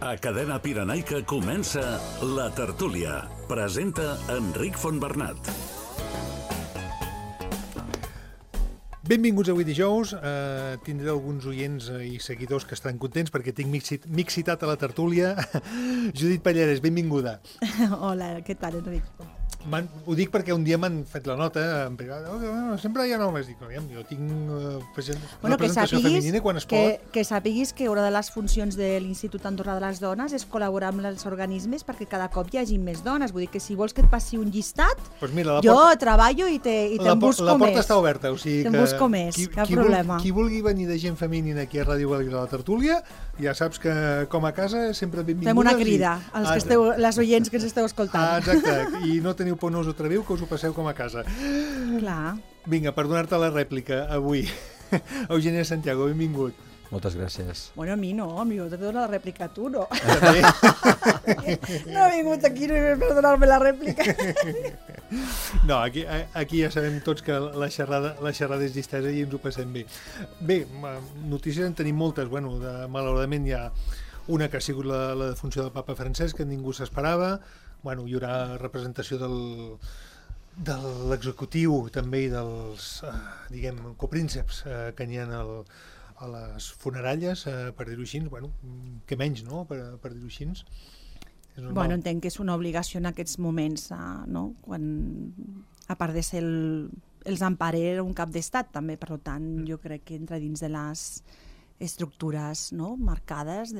A Cadena Pirenaica comença La Tertúlia. Presenta Enric Fontbernat. Benvinguts avui dijous. Tindré alguns oients i seguidors que estan contents perquè tinc m'he citat a la tertúlia. Judit Pallarès, benvinguda. Hola, què tal, Enric? Ho dic perquè un dia m'han fet la nota en privat. Sempre hi ha homes. Dic, jo tinc representació femenina quan es pot. Que sàpiguis que una de les funcions de l'Institut Andorrà de les Dones és col·laborar amb els organismes perquè cada cop hi hagi més dones. Vull dir que si vols que et passi un llistat, pues mira, jo treballo i te'n busco més. La porta està oberta, o sigui que... Te'n busco més, cap problema. Qui vulgui venir de gent femenina aquí a Ràdio Valira de la Tertúlia, ja saps que com a casa sempre benvingudes. Fem una crida als que esteu, les oients que ens esteu escoltant. Exacte, i no teniu por, no us ho atreviu, que us ho passeu com a casa. Clar. Vinga, per donar-te la rèplica avui. Eugènia Santiago, benvingut. Moltes gràcies. Bueno, a mi no, a mi t'he donat la rèplica a tu, no? També. No he vingut aquí per donar-me la rèplica. No, aquí ja sabem tots que la xerrada és distesa i ens ho passem bé. Bé, notícies en tenim moltes. Bueno, malauradament hi ha una que ha sigut la defunció del papa Francesc, que ningú s'esperava. Bueno, hi haurà representació de l'executiu també i dels, diguem, coprínceps que n'hi ha a les funeralles, per dir-ho així. Bueno, què menys, no?, per dir-ho així. Bueno, entenc que és una obligació en aquests moments, no?, quan, a part de ser els emparer un cap d'estat, també, per tant, jo crec que entra dins de les estructures, no?, marcades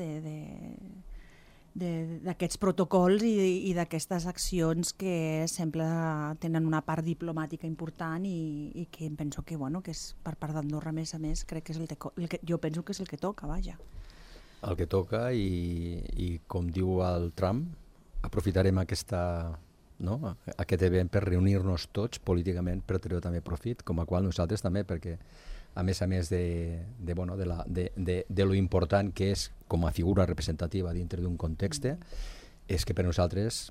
d'aquests protocols i d'aquestes accions que sempre tenen una part diplomàtica important i que em penso que, bueno, que és per part d'Andorra, a més, crec que és jo penso que és el que toca, vaja. El que toca i com diu el Trump, aprofitarem aquest event per reunir-nos tots políticament per treure també profit, com a qual nosaltres també, perquè a més de lo important que és com a figura representativa dintre d'un context, és que per nosaltres,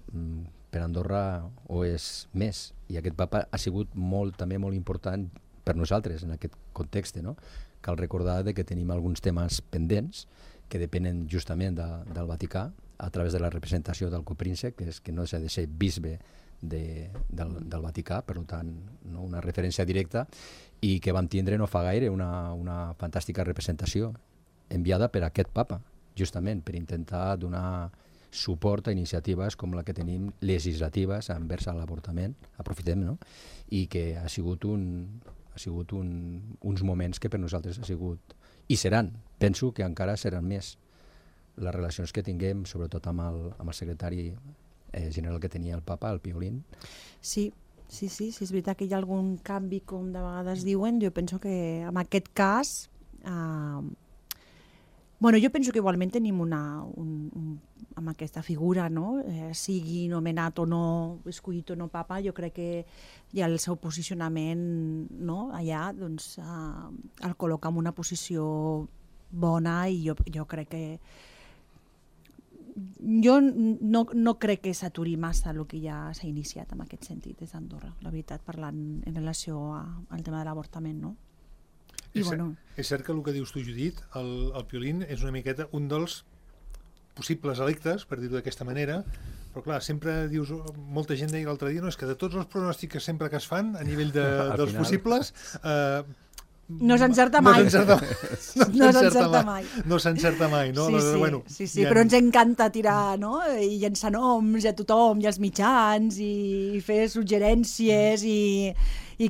per Andorra, ho és més. I aquest papa ha sigut també molt important per nosaltres en aquest context. No? Cal recordar que tenim alguns temes pendents que depenen justament del Vaticà a través de la representació del copríncep, que no s'ha de ser bisbe del Vaticà, per tant, no, una referència directa, i que vam tindre no fa gaire una fantàstica representació enviada per aquest papa, justament per intentar donar suport a iniciatives com la que tenim legislatives envers l'avortament, aprofitem, no? I que ha sigut uns moments que per nosaltres ha sigut, i seran, penso que encara seran més, les relacions que tinguem, sobretot amb el secretari general que tenia el papa, el Piolín. Sí, és veritat que hi ha algun canvi, com de vegades diuen. Jo penso que en aquest cas... jo penso que igualment tenim amb aquesta figura, no? Sigui nomenat o no, escollit o no papa, jo crec que hi ha el seu posicionament, no? Allà, doncs, el col·loca en una posició bona i jo crec que jo no crec que s'aturi massa el que ja s'ha iniciat en aquest sentit des d'Andorra, la veritat, parlant en relació al tema de l'avortament, no? És cert que el que dius tu, Judit, el Piolín és una miqueta un dels possibles electes, per dir-ho d'aquesta manera, però clar, sempre dius, molta gent deia l'altre dia, no, és que de tots els pronòstics sempre que es fan a nivell dels possibles... No s'encerta mai. No s'encerta mai, no? Sí, però ens encanta tirar, no? I llençar noms a tothom i als mitjans i fer suggerències i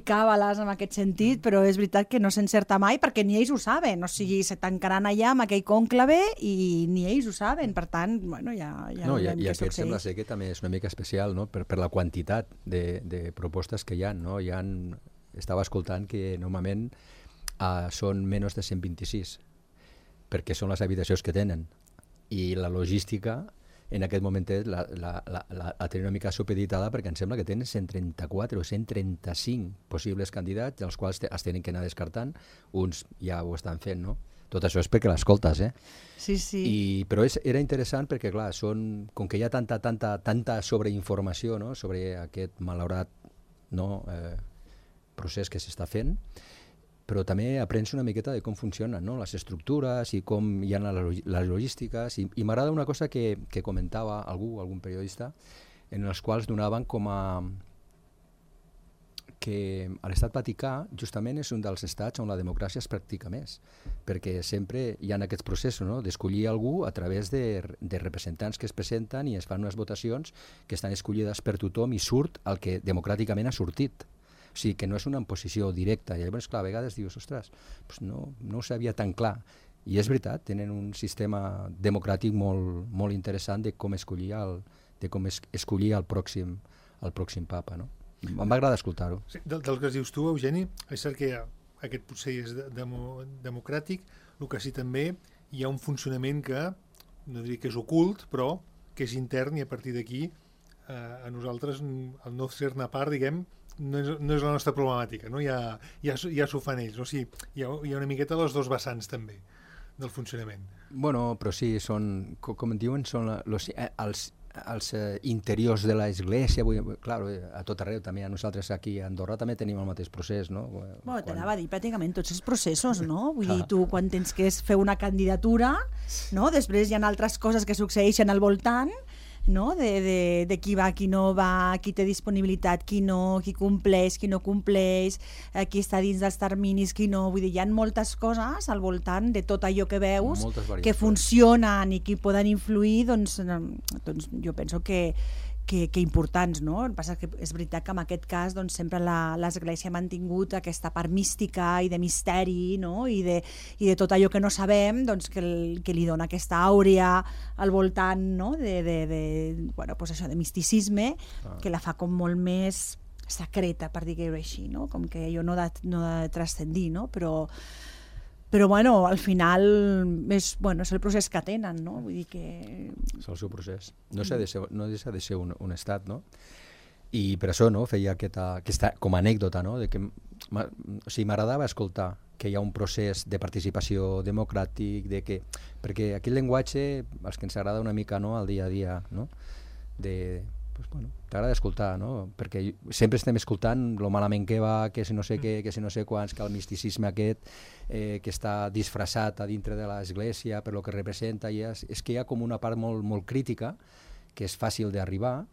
càbales en aquest sentit, però és veritat que no s'encerta mai perquè ni ells ho saben, o sigui, se tancaran allà amb aquell cònclave i ni ells ho saben, per tant, bueno, ja veurem què succeeix. I aquest sembla ser que també és una mica especial, no?, per la quantitat de propostes que hi ha, no? Estava escoltant que normalment són menys de 126, perquè són les habitacions que tenen. I la logística en aquest moment la té una mica supeditada perquè em sembla que tenen 134 o 135 possibles candidats, dels quals es tenen que anar descartant. Uns ja ho estan fent, no? Tot això és perquè l'escoltes, Sí. Però era interessant perquè, clar, com que hi ha tanta sobreinformació, no?, sobre aquest malaurat procés que s'està fent, però també aprens una miqueta de com funcionen, no? Les estructures i com hi ha les logístiques. I m'agrada una cosa que comentava algun periodista, en els quals donaven com a que l'estat Vaticà justament és un dels estats on la democràcia es practica més, perquè sempre hi ha aquests processos, no? D'escollir algú a través de representants que es presenten i es fan unes votacions que estan escollides per tothom i surt el que democràticament ha sortit. O sigui, que no és una imposició directa. I llavors, clar, a vegades dius, ostres, doncs no ho sabia tan clar. I és veritat, tenen un sistema democràtic molt interessant de com escollir el pròxim papa, no? Em va agradar escoltar-ho. Sí, del que dius tu, Eugeni, és cert que aquest potser és democràtic, el que sí també hi ha un funcionament que, no diria que és ocult, però que és intern, i a partir d'aquí a nosaltres, el no ser-ne part, diguem, no és la nostra problemàtica, no? Ja s'ho fan ells, o sigui, hi ha una miqueta les dos vessants també del funcionament. Bueno, però sí, com en diuen, són els interiors de l'església, clar, a tot arreu també, a nosaltres aquí a Andorra també tenim el mateix procés, no? Bueno, t'anava a dir pràcticament tots els processos, no? Vull dir, tu quan tens que fer una candidatura, no? Després hi ha altres coses que succeeixen al voltant, no? De qui va, qui no va, qui té disponibilitat, qui no, qui compleix, qui no compleix, qui està dins dels terminis, qui no. Vull dir, hi ha moltes coses al voltant de tot allò que veus, que funcionen i que poden influir, doncs jo penso que importants, no? El que passa que és veritat que en aquest cas doncs, sempre l'Església ha mantingut aquesta part mística i de misteri, no? I de tot allò que no sabem, doncs, que li dona aquesta àurea al voltant, no? Bueno, pues això, de misticisme, que la fa com molt més secreta, per dir-ho així, no? Com que allò no ha de transcendir, no? Però bueno, al final és el procés que tenen, no? Vull dir que... És el seu procés. No deixa de ser un estat, no? I per això, no, feia aquesta com a anècdota, no? De que, o sigui, m'agradava escoltar que hi ha un procés de participació democràtic, perquè aquell llenguatge, els que ens agrada una mica, no?, al dia a dia, no? Pues, bueno, t'agrada escoltar, no? Perquè sempre estem escoltant lo malament que va, que si no sé què, que si no sé quants, que el misticisme aquest que està disfressat a dintre de l'església per lo que representa, i és que hi ha com una part molt crítica que és fàcil d'arribar,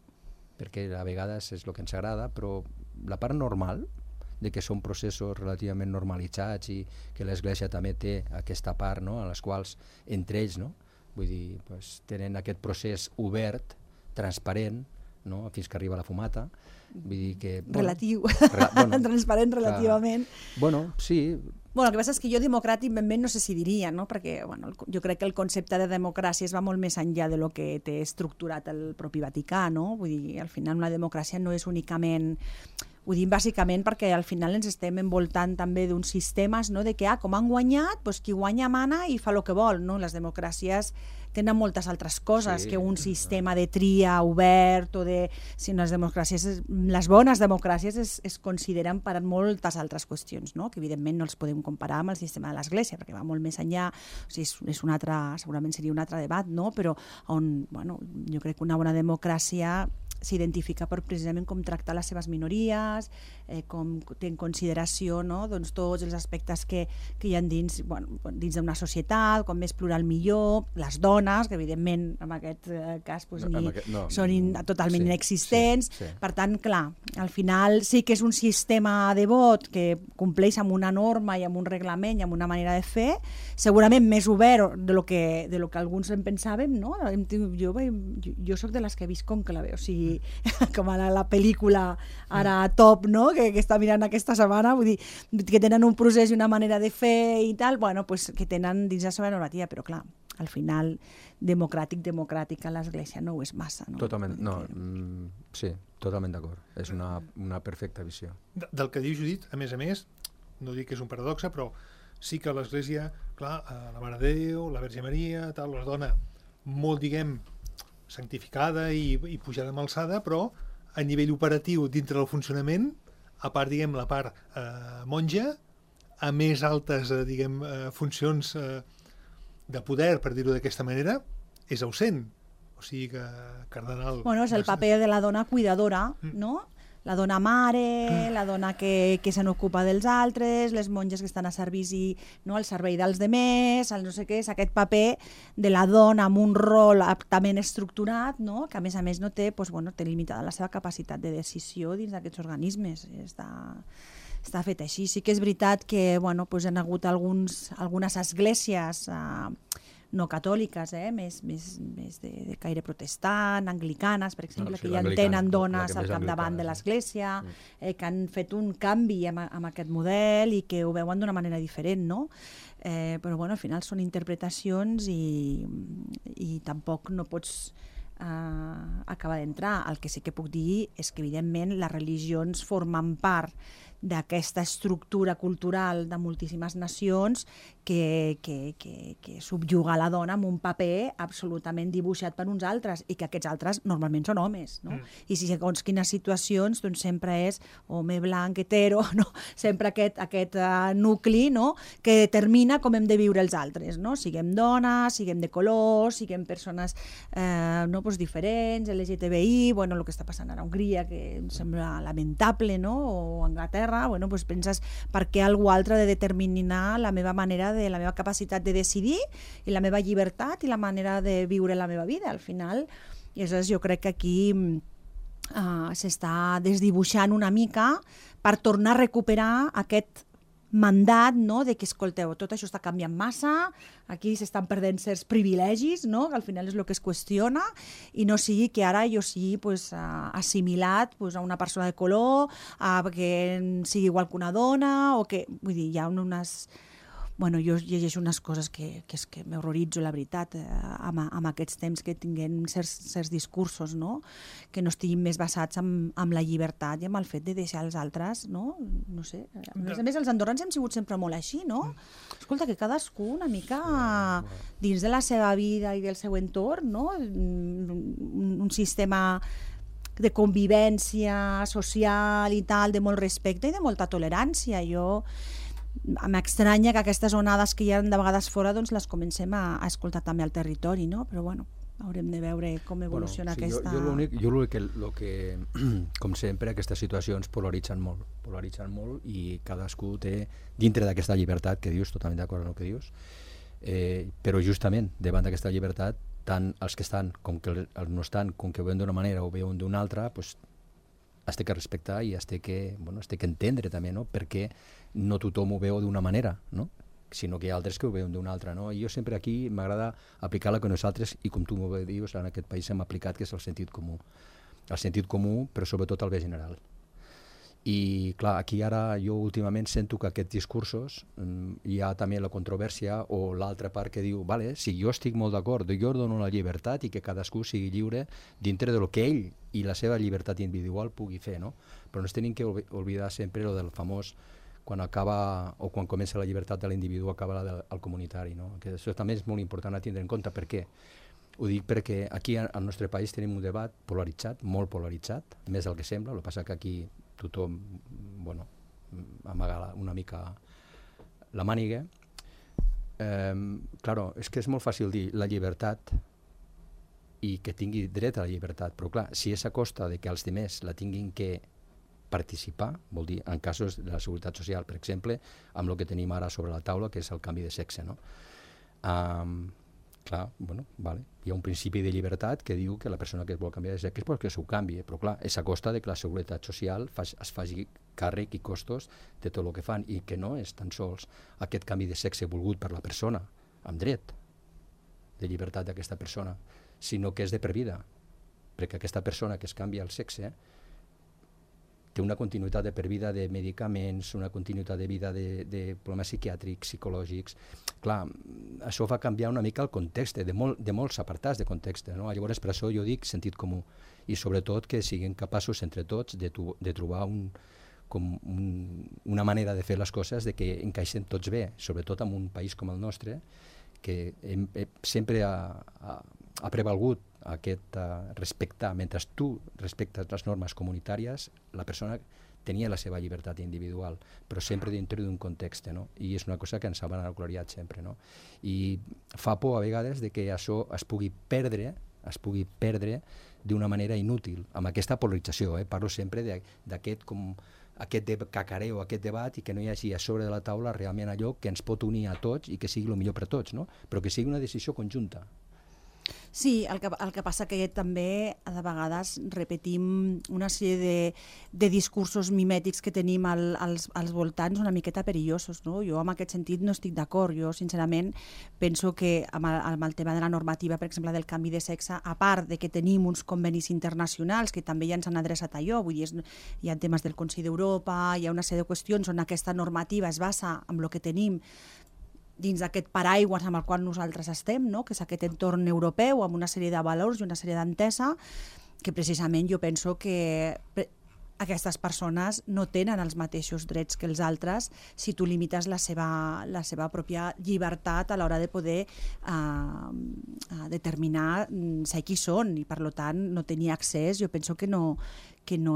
perquè a vegades és el que ens agrada, però la part normal, de que són processos relativament normalitzats i que l'església també té aquesta part, no?, a les quals entre ells, no?, vull dir, pues, tenen aquest procés obert, transparent, no? Fins que arriba la fumata, vull dir que... Relatiu, transparent relativament. Bueno, sí. Bueno, el que passa és que jo democràtic ben no sé si diria, no? Perquè jo crec que el concepte de democràcia es va molt més enllà de lo que té estructurat el propi Vaticà, no? Vull dir, al final una democràcia no és únicament... Ho dic bàsicament perquè al final ens estem envoltant també d'uns sistemes, no? De que, com han guanyat, doncs qui guanya mana i fa el que vol, no? Les democràcies tenen moltes altres coses que un sistema de tria obert o de... Si les democràcies, les bones democràcies es consideren per moltes altres qüestions, no? Que evidentment no els podem comparar amb el sistema de l'Església, perquè va molt més enllà, o sigui, és un altre, segurament seria un altre debat, no? Però on, bueno, jo crec que una bona democràcia s'identifica per precisament com tractar les seves minories, com té en consideració, no? Doncs tots els aspectes que hi ha dins d'una societat, com més plural millor, les dones, que evidentment en aquest cas són totalment inexistents. Per tant, clar, al final sí que és un sistema de vot que compleix amb una norma i amb un reglament i amb una manera de fer, segurament més obert de lo que alguns en pensàvem, no? Jo soc de les que he vist conclave, o sigui, com ara la pel·lícula ara top, no? Que està mirant aquesta setmana, vull dir, que tenen un procés i una manera de fer i tal, bueno, pues que tenen dins la seva normativa, però clar, al final democràtic a l'Església no ho és massa, no? Totalment, no, sí, totalment d'acord, és una perfecta visió. Del que diu Judit, a més, no dic que és un paradoxe, però sí que l'Església, clar, la Mare de Déu, la Verge Maria, tal, la dona molt, diguem, santificada i pujada amb alçada, però a nivell operatiu dintre del funcionament, a part, diguem, la part monja, a més altes, diguem, funcions de poder, per dir-ho d'aquesta manera, és ausent. O sigui que cardenal... Bueno, és el paper de la dona cuidadora, no? la dona mare, la dona que se n'ocupa dels altres, les monges que estan a servici, no, al servei dels demés, el no sé què, és aquest paper de la dona amb un rol aptament estructurat, no? Que a més no té, doncs, bueno, té limitada la seva capacitat de decisió dins d'aquests organismes. Està fet així. Sí que és veritat que bueno, doncs hi ha hagut algunes esglésies no catòliques, més de caire protestant, anglicanes, per exemple, que ja tenen dones al capdavant de l'església, que han fet un canvi amb aquest model i que ho veuen d'una manera diferent, no? Però bueno, al final són interpretacions i tampoc no pots acabar d'entrar. El que sí que puc dir és que, evidentment, les religions formen part d'aquesta estructura cultural de moltíssimes nacions que subjuga la dona amb un paper absolutament dibuixat per uns altres i que aquests altres normalment són homes, no? I si segons quines situacions doncs sempre és home blanc, hetero, no? Sempre aquest nucli, no? Que determina com hem de viure els altres, no? Siguem dones, siguem de color, siguem persones no, doncs diferents, LGTBI, bueno, el que està passant ara a Hongria, que em sembla lamentable, no? O a Anglaterra, bueno, doncs penses per què algú altre ha de determinar la meva manera, la meva capacitat de decidir i la meva llibertat i la manera de viure la meva vida, al final. I aleshores jo crec que aquí s'està desdibuixant una mica per tornar a recuperar aquest mandat, no? De que, escolteu, tot això està canviant massa, aquí s'estan perdent certs privilegis, no? Que al final és el que es qüestiona, i no sigui que ara jo sigui pues, assimilat pues, a una persona de color, que sigui igual que una dona, o que, vull dir, hi ha unes... Bueno, jo llegeixo unes coses que m'horroritzo, la veritat, amb aquests temps que tinguem certs discursos, no? Que no estiguin més basats en la llibertat i en el fet de deixar els altres, no? No sé. A més, els andorrans hem sigut sempre molt així, no? Escolta, que cadascú una mica dins de la seva vida i del seu entorn, no? Un sistema de convivència social i tal, de molt respecte i de molta tolerància. M'estranya que aquestes onades que hi ha de vegades fora doncs les comencem a escoltar també al territori, no? Però bueno, haurem de veure com evoluciona aquesta... Jo l'únic que, com sempre, aquestes situacions polaritzen molt i cadascú té, dintre d'aquesta llibertat que dius, totalment d'acord amb el que dius, però justament davant d'aquesta llibertat, tant els que estan com que els no estan, com que ho veuen d'una manera o veuen d'una altra, doncs es té que respectar i es té que entendre també, no? Perquè no tothom ho veu d'una manera, no? Sinó que hi ha altres que ho veuen d'una altra, no? I jo sempre aquí m'agrada aplicar la que nosaltres, i com tu m'ho dius, en aquest país hem aplicat, que és el sentit comú. El sentit comú, però sobretot el bé general. I clar, aquí ara jo últimament sento que aquests discursos hi ha també la controvèrsia o l'altra part que diu, vale, si jo estic molt d'acord, jo dono la llibertat i que cadascú sigui lliure dintre del que ell i la seva llibertat individual pugui fer, no? Però no es tenim que oblidar sempre lo del famós quan acaba o quan comença la llibertat de l'individu acaba la del comunitari, no? Que això també és molt important a tindre en compte. Per què? Ho dic perquè aquí al nostre país tenim un debat polaritzat, molt polaritzat, més del que sembla, el que passa que aquí tothom, bueno, amaga una mica la màniga. Claro, és que és molt fàcil dir la llibertat i que tingui dret a la llibertat, però clar, si és a costa de que els demés la tinguin que participar, vol dir, en casos de la seguretat social, per exemple, amb el que tenim ara sobre la taula, que és el canvi de sexe, no? Clar, bueno, vale. Hi ha un principi de llibertat que diu que la persona que es vol canviar de sexe és que s'ho canvi, però clar, és a costa de que la seguretat social es faci càrrec i costos de tot el que fan, i que no és tan sols aquest canvi de sexe volgut per la persona, amb dret de llibertat d'aquesta persona, sinó que és de per vida, perquè aquesta persona que es canvia el sexe té una continuïtat de per vida de medicaments, una continuïtat de vida de problemes psiquiàtrics, psicològics. Clar, això fa canviar una mica el context, de molts apartats de context, no? Llavors, per això jo dic sentit comú, i sobretot que siguin capaços entre tots de trobar una manera de fer les coses de que encaixen tots bé, sobretot en un país com el nostre, que sempre ha prevalgut aquest respectar, mentre tu respectes les normes comunitàries, la persona tenia la seva llibertat individual, però sempre dintre d'un context, no? I és una cosa que ens ha gloriat sempre, no? I fa por a vegades de que això es pugui perdre es pugui perdre d'una manera inútil, amb aquesta polarització. Parlo sempre d'aquest cacareo, aquest debat, i que no hi hagi a sobre de la taula realment allò que ens pot unir a tots i que sigui el millor per a tots, no? Però que sigui una decisió conjunta. Sí, el que passa que també de vegades repetim una sèrie de discursos mimètics que tenim als voltants una miqueta perillosos, no? Jo en aquest sentit no estic d'acord. Jo sincerament penso que amb el tema de la normativa, per exemple, del canvi de sexe, a part de que tenim uns convenis internacionals que també ja ens han adreçat a allò, vull dir, hi ha temes del Consell d'Europa, hi ha una sèrie de qüestions on aquesta normativa es basa en el que tenim dins d'aquest paraigües amb el qual nosaltres estem, no? Que és aquest entorn europeu amb una sèrie de valors i una sèrie d'entesa que precisament jo penso que aquestes persones no tenen els mateixos drets que els altres si tu limites la seva pròpia llibertat a l'hora de poder determinar ser qui són i per tant no tenir accés. Jo penso que no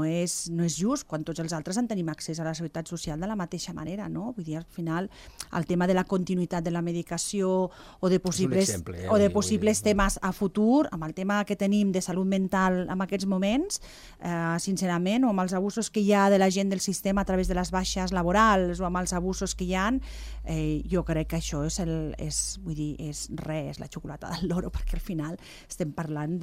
és just quan tots els altres en tenim accés a la seguretat social de la mateixa manera, no? Vull dir, al final, el tema de la continuïtat de la medicació o de possibles temes a futur, amb el tema que tenim de salut mental en aquests moments, sincerament, o amb els abusos que hi ha de la gent del sistema a través de les baixes laborals o amb els abusos que hi ha, jo crec que això és la xocolata del loro, perquè al final estem parlant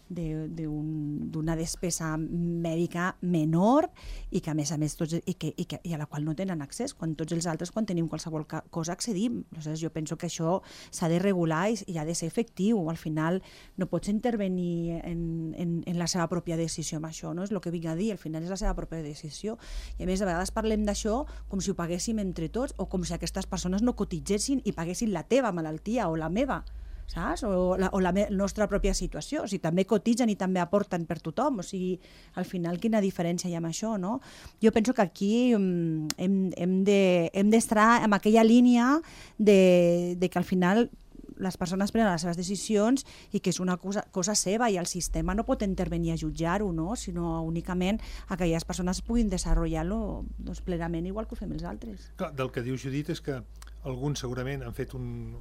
d'una despesa mèdica menor i que a més i a la qual no tenen accés, quan tots els altres quan tenim qualsevol cosa accedim. Aleshores, jo penso que això s'ha de regular i ha de ser efectiu. Al final no pots intervenir en la seva pròpia decisió amb això, no? És el que vinc a dir, al final és la seva pròpia decisió. I a més, a vegades parlem d'això com si ho paguéssim entre tots o com si aquestes persones no cotitzessin i paguessin la teva malaltia o la meva, saps? O la nostra pròpia situació. O sigui, també cotitzen i també aporten per tothom. O sigui, al final, quina diferència hi ha amb això, no? Jo penso que aquí hem d'estar en aquella línia de que al final les persones prenen les seves decisions i que és una cosa seva i el sistema no pot intervenir a jutjar-ho, no? Sinó únicament aquelles persones puguin desenvolupar-lo plenament igual que ho fem els altres. Clar, del que diu Judit és que alguns segurament han fet un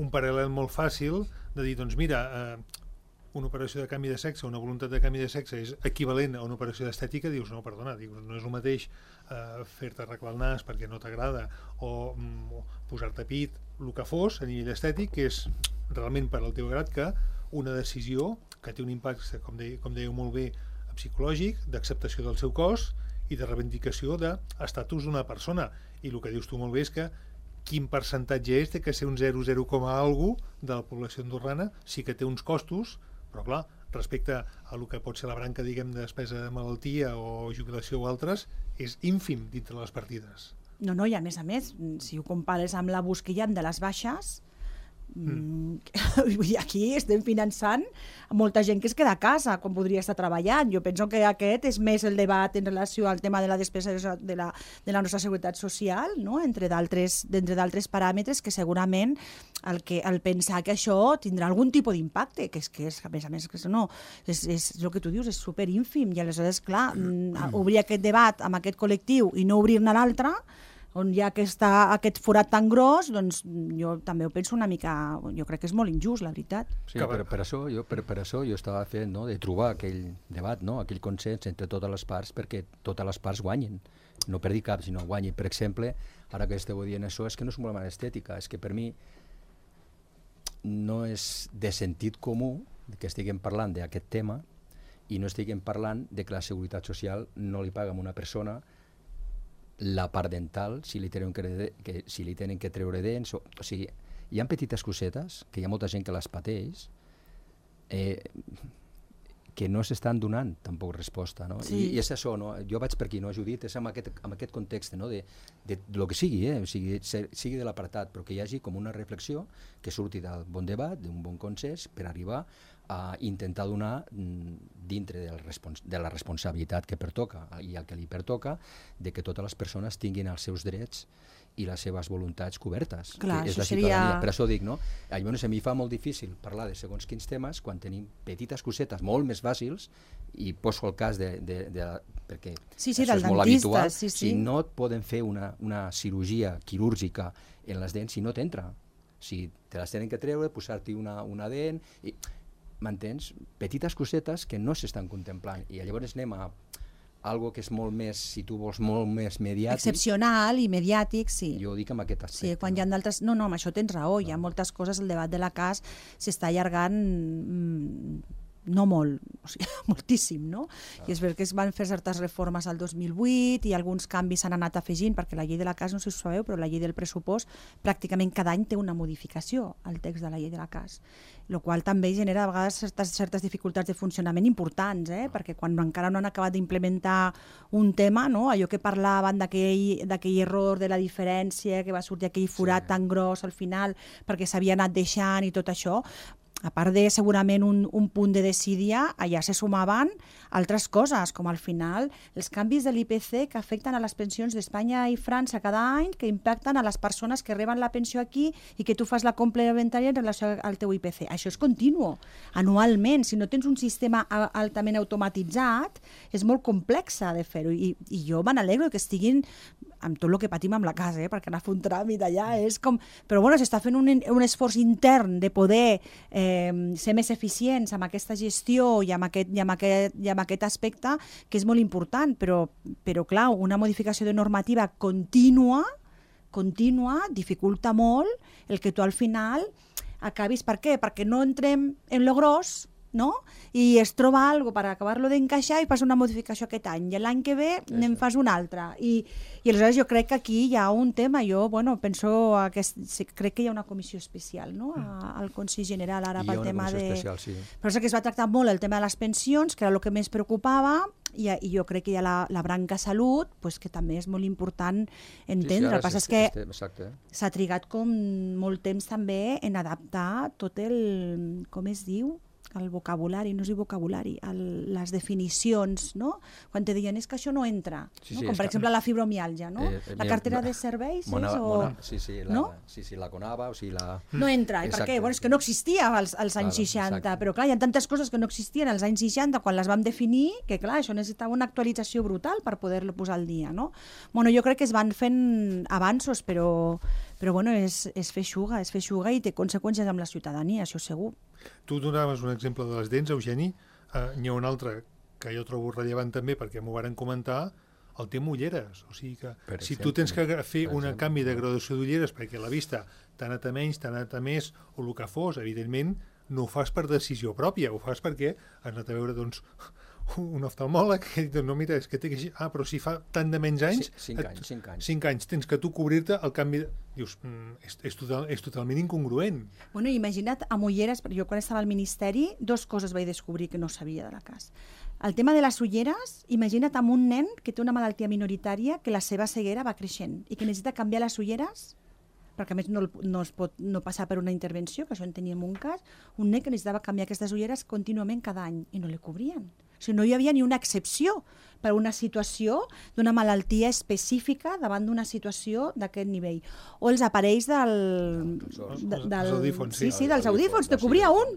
paral·lel molt fàcil de dir, doncs mira, una operació de canvi de sexe, una voluntat de canvi de sexe és equivalent a una operació d'estètica. Dius, no, perdona, no és el mateix fer-te arreglar el nas perquè no t'agrada o posar-te pit, el que fos a nivell estètic, que és realment per al teu grat, que una decisió que té un impacte, com dèieu molt bé, psicològic, d'acceptació del seu cos i de reivindicació d'estatus d'una persona. I el que dius tu molt bé és que quin percentatge és de que ser un 0,0, alguna de la població andorrana sí que té uns costos, però clar, respecte a el que pot ser la branca, diguem, de despesa de malaltia o jubilació o altres, és ínfim dintre les partides. No, i a més, si ho compares amb l'abús que hi ha de les baixes, aquí estem finançant molta gent que es queda a casa quan podria estar treballant. Jo penso que aquest és més el debat en relació al tema de la despesa de la nostra seguretat social, no? Entre d'altres paràmetres que segurament el pensar que això tindrà algun tipus d'impacte, que és a més que no, és el que tu dius, és superínfim, i aleshores, clar, obrir aquest debat amb aquest col·lectiu i no obrir-ne l'altre, on hi ha aquest forat tan gros, doncs jo també ho penso una mica, jo crec que és molt injust, la veritat. Sí, per això jo estava fent, no, de trobar aquell debat, no, aquell consens entre totes les parts, perquè totes les parts guanyen, no perdi cap, sinó guanyen. Per exemple, ara que esteu dient això, és que no és un problema d'estètica, és que per mi no és de sentit comú que estiguem parlant d'aquest tema i no estiguem parlant de que la seguretat social no li paga a una persona la part dental, si li tenen que treure dents, o sigui, hi ha petites cosetes, que hi ha molta gent que les pateix, que no s'estan donant tampoc resposta, no? Sí. I és això, no? Jo vaig per aquí, no, Judit? És amb aquest context, no? De lo que sigui, o sigui de l'apartat, però que hi hagi com una reflexió que surti del bon debat, d'un bon consens, per arribar a intentar donar dintre de la responsabilitat que pertoca i el que li pertoca, de que totes les persones tinguin els seus drets i les seves voluntats cobertes. Clar, és la ciutadania. Per això dic, no? Llavors, a mi fa molt difícil parlar de segons quins temes quan tenim petites cosetes molt més fàcils, i poso el cas perquè això és molt habitual. Si no et poden fer una cirurgia quirúrgica en les dents, si no t'entra. Si te les tenen que treure, posar-t'hi una dent... m'entens? Petites cosetes que no s'estan contemplant, i llavors anem a algo que és molt més, si tu vols, molt més mediàtic. Excepcional i mediàtic, sí. Jo ho dic amb aquest aspecte. Sí, quan hi ha d'altres... No, amb això tens raó, hi ha moltes coses, el debat de la CAS s'està allargant no molt, o sigui, moltíssim, no? I és veritat que es van fer certes reformes al 2008 i alguns canvis s'han anat afegint, perquè la llei de la CAS, no sé si ho sabeu, però la llei del pressupost pràcticament cada any té una modificació al text de la llei de la CAS, el qual també genera a vegades certes dificultats de funcionament importants, perquè quan encara no han acabat d'implementar un tema, no? Allò que parlaven d'aquell error de la diferència, que va sortir aquell forat tan gros al final perquè s'havia anat deixant i tot això, a part de segurament un punt de desídia, allà se sumaven altres coses, com al final els canvis de l'IPC que afecten a les pensions d'Espanya i França cada any, que impacten a les persones que reben la pensió aquí i que tu fas la complementària en relació al teu IPC. Això és continu, anualment. Si no tens un sistema altament automatitzat, és molt complex de fer-ho. I jo me n'alegro que estiguin amb tot el que patim amb la casa, perquè anar a fer un tràmit allà és com... Però bueno, s'està fent un esforç intern de poder ser més eficients amb aquesta gestió i amb aquest aspecte, que és molt important, però clar, una modificació de normativa contínua dificulta molt el que tu al final acabis. Per què? Perquè no entrem en lo gros, no? I es troba alguna per acabar-lo d'encaixar i fas una modificació aquest any i l'any que ve n'en fas una altra i aleshores jo crec que aquí hi ha un tema, jo penso crec que hi ha una comissió especial, no? Al Consell General ara pel tema de... Però és que es va tractar molt el tema de les pensions, que era el que més preocupava, i jo crec que hi ha la branca salut, que també és molt important entendre. El que passa és que s'ha trigat com molt temps també en adaptar tot el... com es diu? El vocabulari, no es diu vocabulari, les definicions, no? Quan te diuen és que això no entra, com per exemple la fibromiàlgia, no? La cartera de serveis la CONAVA, o sigui la... No entra, i per què? És que no existia als anys 60, però clar, hi ha tantes coses que no existien als anys 60 quan les vam definir, que clar, això necessitava una actualització brutal per poder-lo posar al dia, no? Jo crec que es van fent avanços, però és fer xuga i té conseqüències amb la ciutadania, això segur. Tu donaves un exemple de les dents, Eugeni. N'hi ha un altre que jo trobo rellevant també, perquè m'ho varen comentar, el tema ulleres. O sigui que si tu tens que fer un canvi de graduació d'ulleres perquè la vista t'ha anat a menys, t'ha anat a més, o el que fos, evidentment, no ho fas per decisió pròpia, ho fas perquè has anat a veure, doncs, un oftalmòleg que diu, no, mira, és que té que... però si fa tant de menys anys... 5 anys. Tens que tu cobrir-te el canvi... Dius, és totalment incongruent. Imagina't, amb ulleres, jo quan estava al Ministeri, 2 coses vaig descobrir que no sabia de la CAS. El tema de les ulleres, imagina't amb un nen que té una malaltia minoritària, que la seva ceguera va creixent i que necessita canviar les ulleres, perquè a més no es pot no passar per una intervenció, que això en teníem un cas, un nen que necessitava canviar aquestes ulleres contínuament cada any i no li cobrien. O sigui, no hi havia ni una excepció per a una situació d'una malaltia específica davant d'una situació d'aquest nivell. O els aparells dels audífons. Sí, dels audífons, te cobria un.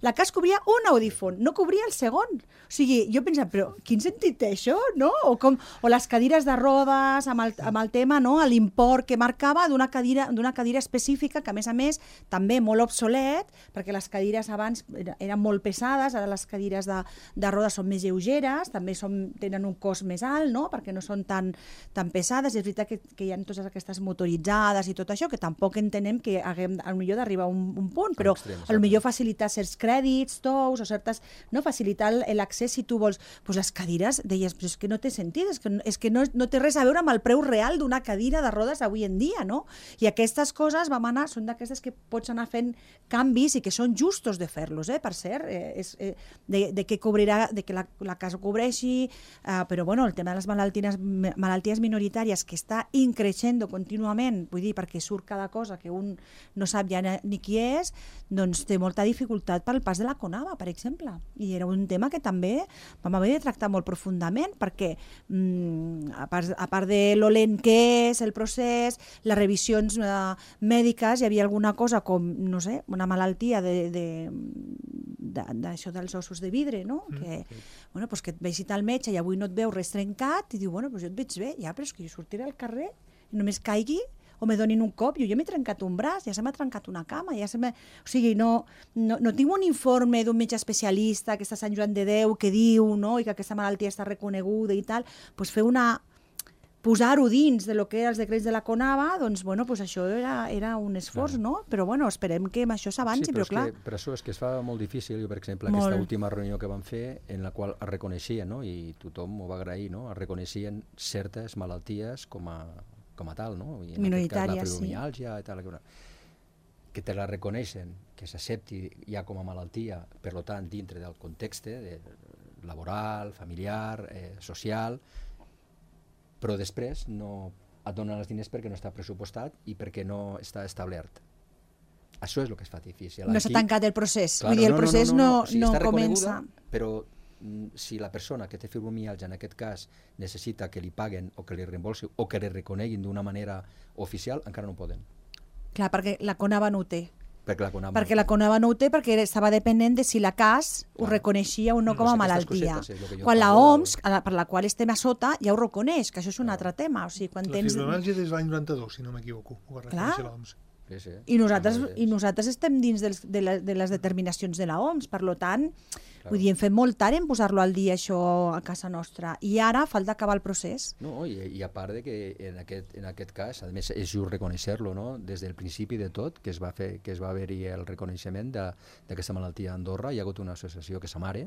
La CAS cobria un audífon, no cobria el segon. O sigui, jo pensava, però quin sentit té això, no? O les cadires de rodes amb el tema, no? L'import que marcava d'una cadira específica, que a més també molt obsolet, perquè les cadires abans eren molt pesades, ara les cadires de rodes són més lleugeres, també tenen un cost més alt, no? Perquè no són tan pesades. És veritat que hi ha totes aquestes motoritzades i tot això, que tampoc entenem que haguem potser d'arribar a un punt, però potser facilitar certs crèdits, tous, o certes... No, facilitar l'accés si tu vols... Doncs les cadires, deies, però és que no té sentit, és que no té res a veure amb el preu real d'una cadira de rodes avui en dia, no? I aquestes coses són d'aquestes que pots anar fent canvis i que són justos de fer-los, per cert, de que cobrirà, de que la CAS cobreixi, però bueno, el tema de les malalties minoritàries que està increixent contínuament, vull dir, perquè surt cada cosa que un no sap ja ni qui és, doncs té molta dificultat pel pas de la CONAVA, per exemple. I era un tema que també vam haver de tractar molt profundament, perquè a part de lo lent que és el procés, les revisions mèdiques, hi havia alguna cosa com, no sé, una malaltia d'això dels ossos de vidre, no? Que et vegi el metge i avui no et veu res trencat i diu, jo et veig bé, ja, però és que jo sortiré al carrer i només caigui o me donin un cop, jo m'he trencat un braç, ja se m'ha trencat una cama, o sigui, no tinc un informe d'un metge especialista que està a Sant Joan de Déu que diu, no?, i que aquesta malaltia està reconeguda i tal, doncs posar-ho dins de lo que eren els decrets de la CONAVA, doncs, bueno, pues això era un esforç, no? Però, bueno, esperem que amb això s'avanci, però clar. Per això és que es fa molt difícil, per exemple, aquesta última reunió que vam fer, en la qual es reconeixien, no?, i tothom ho va agrair, no?, es reconeixien certes malalties com a tal, no?, i en aquest cas la fibromiàlgia i tal, que te la reconeixen, que s'accepti ja com a malaltia, per tant, dintre del context laboral, familiar, social, però després no et donen els diners perquè no està pressupostat i perquè no està establert. Això és el que es fa difícil. No s'ha tancat el procés. Vull dir, el procés no comença. Però si la persona que té fibromiàlgia, en aquest cas, necessita que li paguen o que li reembolsi o que li reconeguin d'una manera oficial, encara no poden. Clar, perquè la CONAVA no ho té. Perquè la CONAVA no ho té perquè estava dependent de si la CAS ho reconeixia o no com a malaltia. Quan la OMS, per la qual estem a sota, ja ho reconeix, que això és un altre tema. La fibromiàlgia des de l'any 92, si no m'equivoco, ho va reconèixer l'OMS. I nosaltres estem dins de les determinacions de la OMS, per tant, vull dir, hem fet molt tard en posar-lo al dia això a casa nostra, i ara falta acabar el procés. No, i a part de que en aquest cas, a més, és just reconèixer-lo, no?, des del principi de tot, que es va haver-hi el reconeixement d'aquesta malaltia a Andorra, hi ha hagut una associació que s'amare,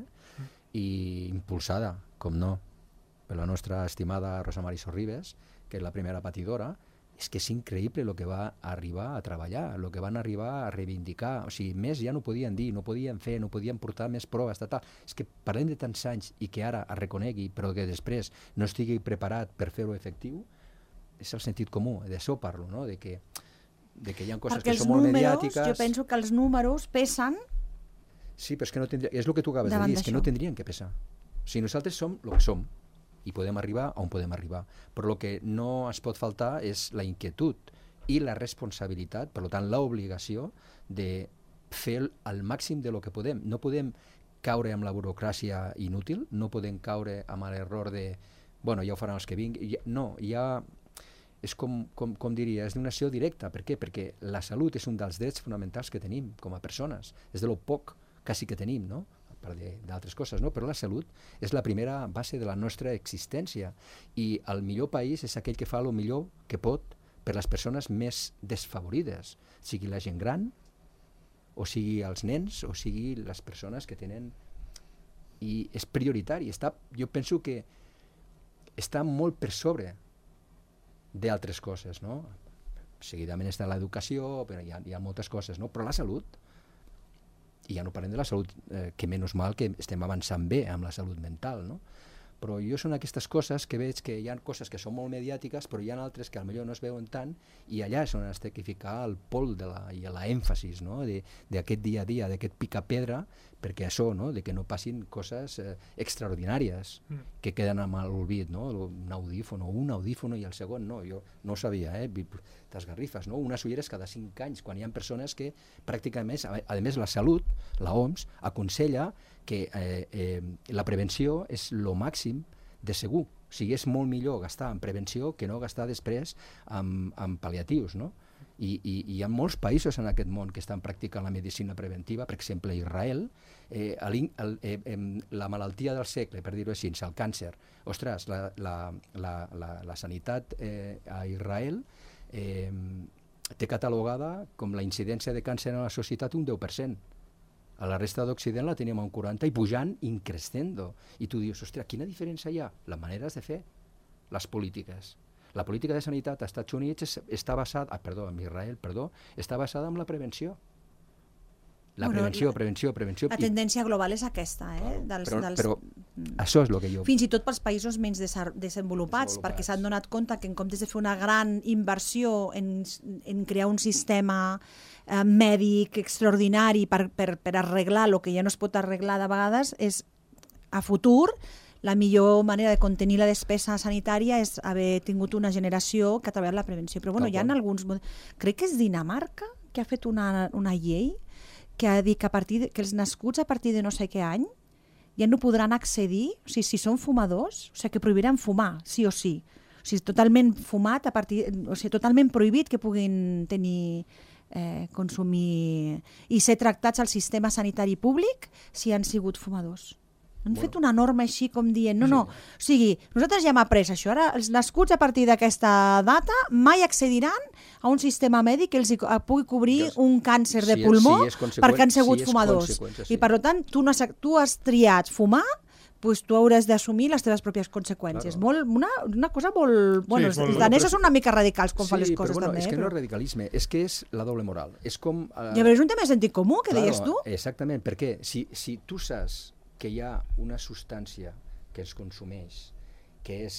i impulsada, com no, per la nostra estimada Rosa Mari Sorribes, que és la primera patidora. És que és increïble el que va arribar a treballar, el que van arribar a reivindicar. O sigui, més ja no podien dir, no podien fer, no podien portar més proves, tal. És que parlem de tants anys i que ara es reconegui, però que després no estigui preparat per fer-ho efectiu, és el sentit comú, d'això parlo, no?, de que hi ha coses que són molt mediàtiques. Jo penso que els números pesen. Sí, però és que no tindrien, és el que tu acabes de dir, és que no tindrien que pesar. O sigui, nosaltres som el que som, i podem arribar on podem arribar. Però el que no es pot faltar és la inquietud i la responsabilitat, per tant, l'obligació de fer el màxim de lo que podem. No podem caure amb la burocràcia inútil, no podem caure amb l'error de, bueno, ja ho faran els que vinguin. No, ja és com diria, és d'una acció directa. Per què? Perquè la salut és un dels drets fonamentals que tenim com a persones. És de lo poc quasi que tenim, no?, d'altres coses, no? Però la salut és la primera base de la nostra existència i el millor país és aquell que fa el millor que pot per les persones més desfavorides, sigui la gent gran, o sigui els nens, o sigui les persones que tenen... I és prioritari. Jo penso que està molt per sobre d'altres coses, no? Seguidament està l'educació, però hi ha moltes coses, no? Però la salut, i ja no parlem de la salut, que menys mal que estem avançant bé amb la salut mental, no? Però jo són aquestes coses que veig que hi ha coses que són molt mediàtiques, però hi ha altres que potser no es veuen tant, i allà és on has de ficar el pol i l'èmfasis, no?, d'aquest dia a dia, d'aquest picar-pedra, perquè això, no?, de que no passin coses extraordinàries que queden amb l'olvid, no?, un audífono i el segon no, jo no ho sabia, t'esgarrifes, no?, unes ulleres cada 5 anys, quan hi ha persones que pràcticament, a més la salut, la OMS, aconsella que la prevenció és el màxim de segur. O sigui, és molt millor gastar en prevenció que no gastar després en pal·liatius, no? I hi ha molts països en aquest món que estan practicant la medicina preventiva, per exemple, Israel, la malaltia del segle, per dir-ho així, el càncer. Ostres, la sanitat a Israel té catalogada com la incidència de càncer en la societat un 10%. A la resta d'Occident la tenim a un 40% i pujant increscendo. I tu dius, ostres, quina diferència hi ha? Les maneres de fer, les polítiques. La política de sanitat als Estats Units està basada, en Israel, està basada en la prevenció. Prevenció. La tendència global és aquesta, Però això és el que jo... Fins i tot pels països menys desenvolupats, perquè s'han donat compte que en comptes de fer una gran inversió en crear un sistema mèdic extraordinari per arreglar el que ja no es pot arreglar de vegades, és a futur la millor manera de contenir la despesa sanitària és haver tingut una generació que ha treballat la prevenció. Però bueno, hi ha alguns... Crec que és Dinamarca que ha fet una llei que ha dit que els nascuts a partir de no sé què any ja no podran accedir, o sigui, si són fumadors, o sigui, que prohibiran fumar, sí o sí. O sigui, totalment fumat, totalment prohibit que puguin tenir, consumir i ser tractats al sistema sanitari públic si han sigut fumadors. Han fet una norma així com dient, no, o sigui, nosaltres ja hem après això, ara els nascuts a partir d'aquesta data mai accediran a un sistema mèdic que els pugui cobrir un càncer de pulmó perquè han sigut fumadors. I per tant, tu has triat fumar, doncs tu hauràs d'assumir les teves pròpies conseqüències. Una cosa molt... Bueno, els danesos són una mica radicals quan fan les coses també. Sí, però és que no és radicalisme, és que és la doble moral. És com... Ja, però és un tema de sentit comú, que deies tu. Exactament, perquè si tu saps que hi ha una substància que es consumeix, que és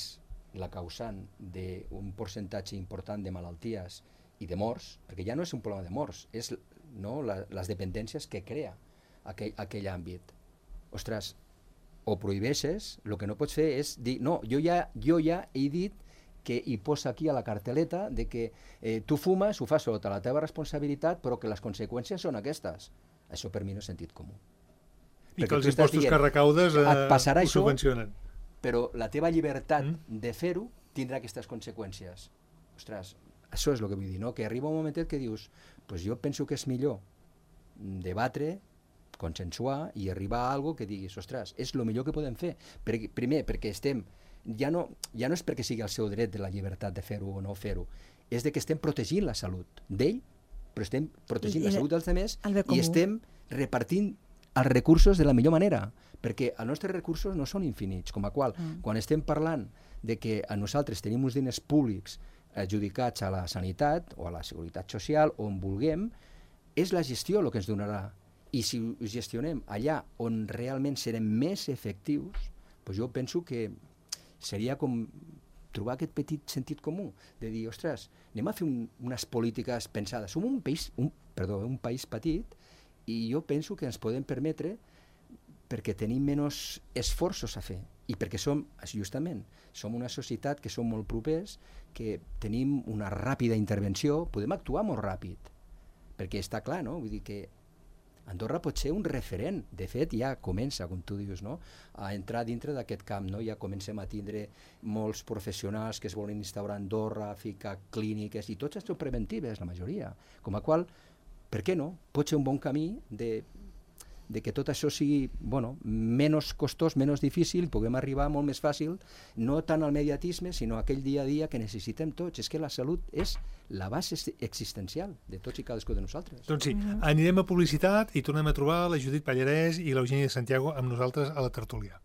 la causant d'un percentatge important de malalties i de morts, perquè ja no és un problema de morts, és les dependències que crea aquell àmbit. Ostres, o prohibeixes, el que no pots fer és dir, no, jo ja he dit que hi posa aquí a la carteleta de que tu fumes, ho fas sota la teva responsabilitat, però que les conseqüències són aquestes. Això per mi no és sentit comú. I que els impostos que recaudes ho subvencionen. Però la teva llibertat de fer-ho tindrà aquestes conseqüències. Ostres, això és el que vull dir, no? Que arriba un momentet que dius, pues jo penso que és millor debatre, consensuar i arribar a algo que diguis, ostres, és el millor que podem fer. Primer, perquè estem... Ja no és perquè sigui el seu dret de la llibertat de fer-ho o no fer-ho, és de que estem protegint la salut d'ell, però estem protegint la salut dels altres i estem repartint els recursos de la millor manera, perquè els nostres recursos no són infinits, com a qual, quan estem parlant de que a nosaltres tenim uns diners públics adjudicats a la sanitat o a la seguretat social, on vulguem, és la gestió el que ens donarà. I si ho gestionem allà on realment serem més efectius, doncs jo penso que seria com trobar aquest petit sentit comú, de dir, ostres, anem a fer unes polítiques pensades. Som un país petit, i jo penso que ens podem permetre perquè tenim menys esforços a fer i perquè som una societat que som molt propers, que tenim una ràpida intervenció, podem actuar molt ràpid, perquè està clar, no? Vull dir que Andorra pot ser un referent, de fet ja comença, com tu dius, no? A entrar dintre d'aquest camp, no? Ja comencem a tindre molts professionals que es volen instaurar a Andorra, ficar clíniques, i tots són preventives, la majoria, com a qual per què no? Pot ser un bon camí de que tot això sigui menys costós, menys difícil, puguem arribar molt més fàcil, no tant al mediatisme, sinó a aquell dia a dia que necessitem tots. És que la salut és la base existencial de tots i cadascú de nosaltres. Doncs sí, anirem a publicitat i tornem a trobar la Judit Pallarès i l'Eugènia de Santiago amb nosaltres a la tertúlia.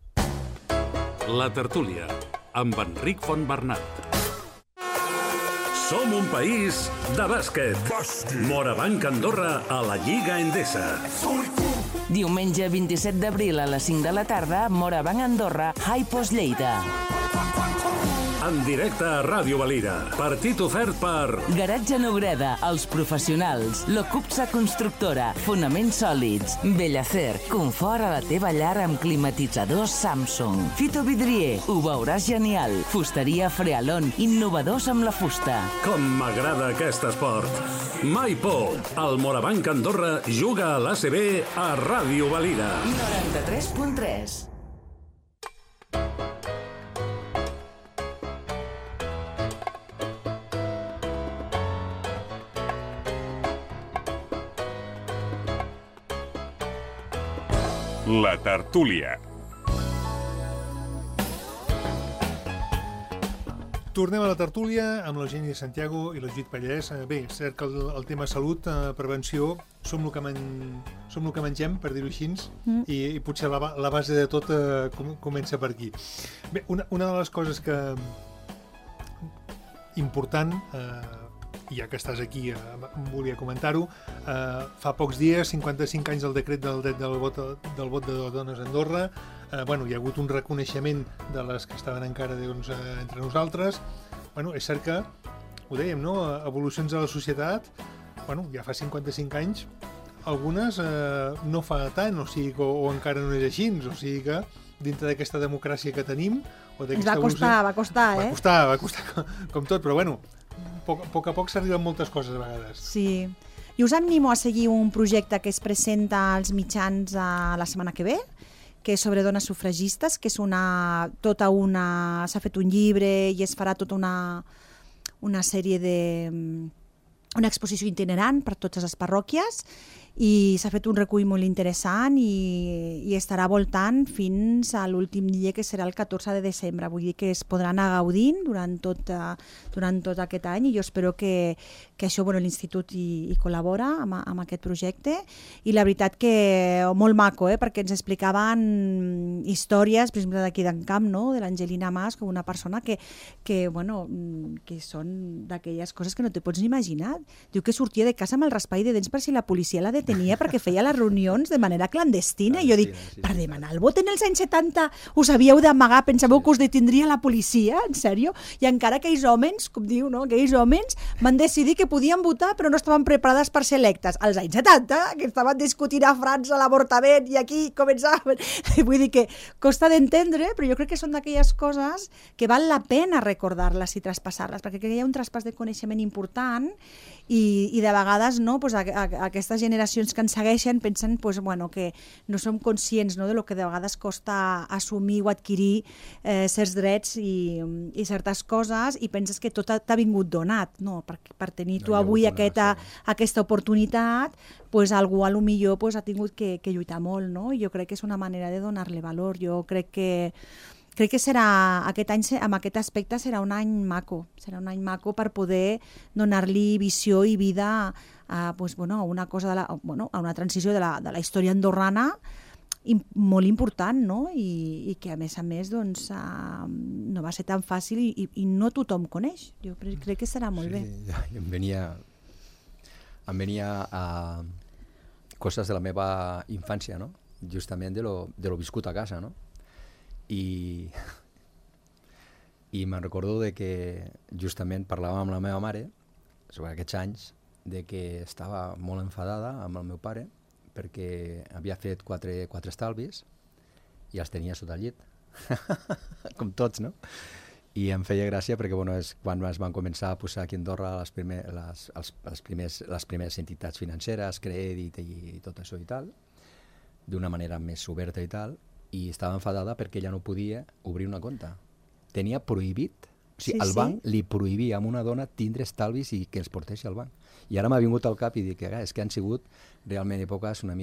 La tertúlia, amb Enric Fontbernat. Som un país de bàsquet. Morabanc Andorra a la Lliga Endesa. Diumenge 27 d'abril a les 5 de la tarda, Morabanc Andorra, Hi-Post Lleida. En directe a Ràdio Valira. Partit ofert per... Garatge Nobreda, Els Professionals, Locupsa Constructora, Fonaments Sòlids, Bellacer, confort a la teva llar amb climatitzadors Samsung. Fito Vidrier, ho veuràs genial. Fusteria Frealon, innovadors amb la fusta. Com m'agrada aquest esport. Mai por. El Morabanc Andorra juga a l'ACB a Ràdio Valira. 93.3. La tertúlia. Tornem a la tertúlia amb l'Eugènia de Santiago i la Judit Pallarès. Bé, és cert que el tema salut, prevenció, som el que mengem, per dir-ho així, i potser la base de tot comença per aquí. Bé, una de les coses que important, ja que estàs aquí, volia comentar-ho, fa pocs dies, 55 anys del decret del dret del vot de dones a Andorra. Hi ha hagut un reconeixement de les que estaven encara entre nosaltres. És cert que, ho dèiem, no? Evolucions de la societat, ja fa 55 anys, algunes no fa tant, o encara no és així, o sigui que dintre d'aquesta democràcia que tenim... Ens va costar, eh? Va costar com tot, però a poc a poc s'arriben moltes coses a vegades. Sí. I us animo a seguir un projecte que es presenta als mitjans la setmana que ve, que és sobre dones sufragistes, que és s'ha fet un llibre i es farà tota una sèrie una exposició itinerant per totes les parròquies, i s'ha fet un recull molt interessant i estarà voltant fins a l'últim dia, que serà el 14 de desembre. Vull dir que es podran anar gaudint durant tot aquest any, i jo espero que això, l'Institut hi col·labora amb aquest projecte, i la veritat que molt maco, perquè ens explicaven històries, per exemple d'aquí d'Encamp, de l'Angelina Mas, com una persona que són d'aquelles coses que no te pots ni imaginar. Diu que sortia de casa amb el raspall de dents per si la policia la detenia, perquè feia les reunions de manera clandestina. I jo dic, per demanar el vot en els anys 70 us havíeu d'amagar, pensàveu que us detindria la policia, en sèrio? I encara aquells homes, com diu, aquells homes van decidir que podien votar però no estaven preparades per ser electes. Als anys 70, que estaven discutint a França l'avortament i aquí començaven. Vull dir que costa d'entendre, però jo crec que són d'aquelles coses que val la pena recordar-les i traspassar-les, perquè hi ha un traspàs de coneixement important, i de vegades aquestes generacions que ens segueixen pensen que no som conscients de lo que de vegades costa assumir o adquirir certs drets i certes coses, i penses que tot t'ha vingut donat, per tenir tu avui aquesta oportunitat, algú a lo millor ha tingut que lluitar molt, no? Jo crec que és una manera de donar-li valor. Jo crec que serà aquest any, amb aquest aspecte, serà un any maco per poder donar-li visió i vida a una cosa a una transició de la història andorrana molt important, no? I que a més no va ser tan fàcil i no tothom coneix. Jo crec que serà molt bé. Em venia a coses de la meva infància, no? Justament de lo viscut a casa, no? I me'n recordo de que justament parlàvem amb la meva mare sobre aquests anys, de que estava molt enfadada amb el meu pare perquè havia fet quatre estalvis i els tenia sota el llit, com tots, no? I em feia gràcia perquè és quan es van començar a posar aquí a Andorra les primeres entitats financeres, crèdit i tot això i tal, d'una manera més oberta i tal, i estava enfadada perquè ella no podia obrir una compte. Tenia prohibit, el banc li prohibia a una dona tindre estalvis i que els portessi al banc. I ara m'ha vingut al cap i dic que és que han sigut realment èpoques una